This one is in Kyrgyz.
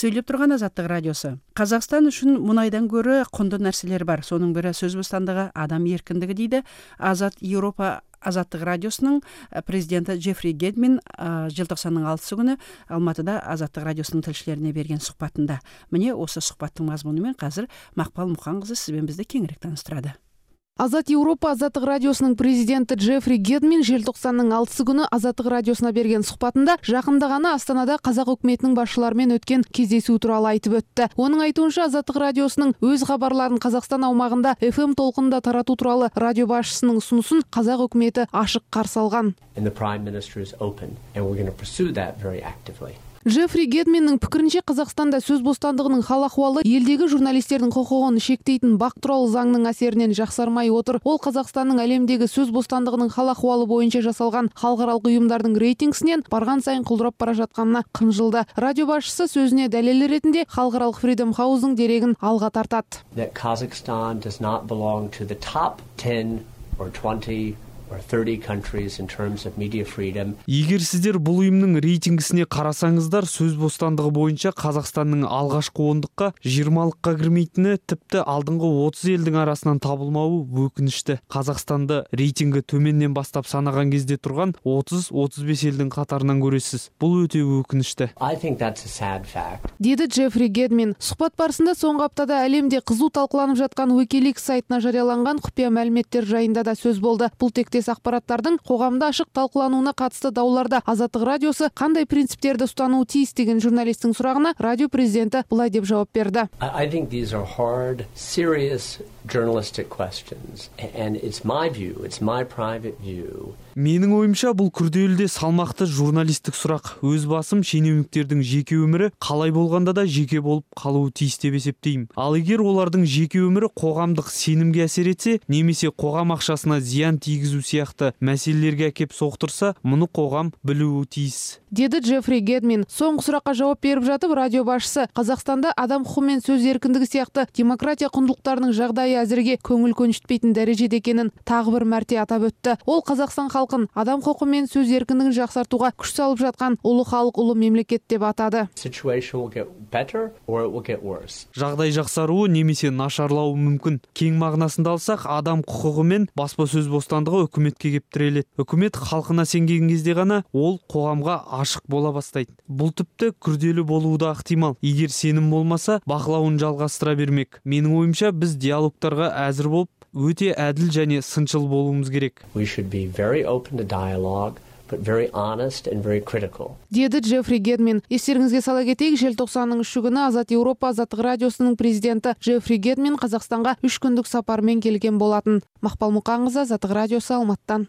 Сөйлеп турган Азаттык радиосу. Казакстан үчүн мунайдан көрө кондуу нерселер бар. Сонун бири сөз бостандыгы, адам эркиндиги дейди. Азат Европа Азаттык радиосунун президенти Джеффри Гедмин желтоқсандын 6 күнү Алматыда Азаттык радиосунун тилчилерине берген сухбатында. Міне осы сухбаттын мазмуну менен азыр Макпал Мукан кызы сиз менен бизди кеңирээк тааныштырады. Азат Европа Азаттык радиосунун президенти Джеффри Гедмин желтоқсандын 6 күнү Азаттык радиосуна берген сухбатында жакында гана Астанада казак өкмөтүнүн башчылары менен өткөн кездесүү тууралуу айтып өттү. Онун айтуунча Азаттык радиосунун өз кабарларын Казакстан аумагында FM толкунда таратуу тууралуу радио башчысынын сунусун казак өкмөтү ашык каршы алган. Джеффри Гедминдин пикиринче, Казакстанда сөз бостандыгынын хал акыбалы элдеги журналисттердин кокугун шектейтин бак тууралуу заңдын асеринен жаксармай отур. Ол Казакстандын әлемдеги сөз бостандыгынын хал акыбалы боюнча жасалган халыкаралык уюмдардын рейтингисинен барган сайын кулдурап бара жатканына кынжылды. Радио башчысы сөзүнө далил ретинде халыкаралык Freedom House'дун дерегин алга тартат. Kazakhstan does not belong to the top 10 or 20 or 30 countries in terms of media freedom. Эгер сиздер бул уюмдун рейтингисине карасаңыздар, сөз бостандыгы боюнча Казакстандын алгачкы 10-дукка 20-лыкка кирмейтини, типти алдыңкы 30 элдин арасынан табылмабы өкүнүчтүү. Казакстанды рейтинги төмөндөн баштап санаган кезде турган 30-35 элдин катарынан көрөсүз. Бул өтө өкүнүчтүү. I think that's a sad fact. Деди Джеффри Гедмин. Сухбат барысында соңку аптада әлемде кызуу талкууланып жаткан Wikileaks сайтына жарыяланган купуя маалыметтер жайында да сөз болду. Бул тектес акпараттардын когамда ашык талкууланууна катысты дауларда Азаттык радиосу кандай принциптерди устануу тийиз деген журналисттин сурагына радио президенти былай деп жооп берди. I think these are hard, serious journalistic questions, and it's my view, it's my private view. Менин оюмча бул күрдөөлүү салмактуу журналисттик сурак. Өз басым шенеунүктөрдүн жеке өмүрү калай болгондо да жеке болуп калуу тийиз деп эсептейм. Ал эгер олардын жеке өмүрү когамдык сенимге асер этсе, немесе когам акчасына зыян тийгизүү сыяктуу маселелерге акеп соктурса, муну когам билүү тийиз. Деди Джеффри Гедмин. Соңку суракка жооп берип жатып, радио башчысы Казакстанда адам укугу менен сөз эркиндиги сыяктуу демократия кундуктарынын жагдайы азырге көңүл көнүштпейтин дарежеде экенин дагы бир марте атап өттү. Ол Казакстан халкын адам укугу менен сөз эркиндигин жаксартууга күч салып жаткан улуу халык, улуу мемлекет деп атады. Жагдай жаксаруу немесе нашарлауы мүмкүн. Кең мағынасында алсак, адам укугу менен баспа сөз бостандыгы өкмөткө кеп тирелет. Өкмөт халкына сенген кезде гана ол когамга ашык бола баштайт. Бул типти күрдөөлүү болуу да ыктымал. Эгер сеним болмаса, бакылауун жалгастыра бермек. Менин оюмча, биз диалогторго азыр болуп, өтө адил жана сынчыл болуумуз керек. We should be very open to dialogue, but very honest and very critical. Деди Джеффри Гедмин. Эстериңизге сала кетейик, желтоқсандын 3 күнү Азат Европа Азаттык радиосунун президенти Джеффри Гедмин Казакстанга 3 күндүк сапар менен келген болатын. Макпал Мукан кызы, Азаттык радиосу, Алматтан.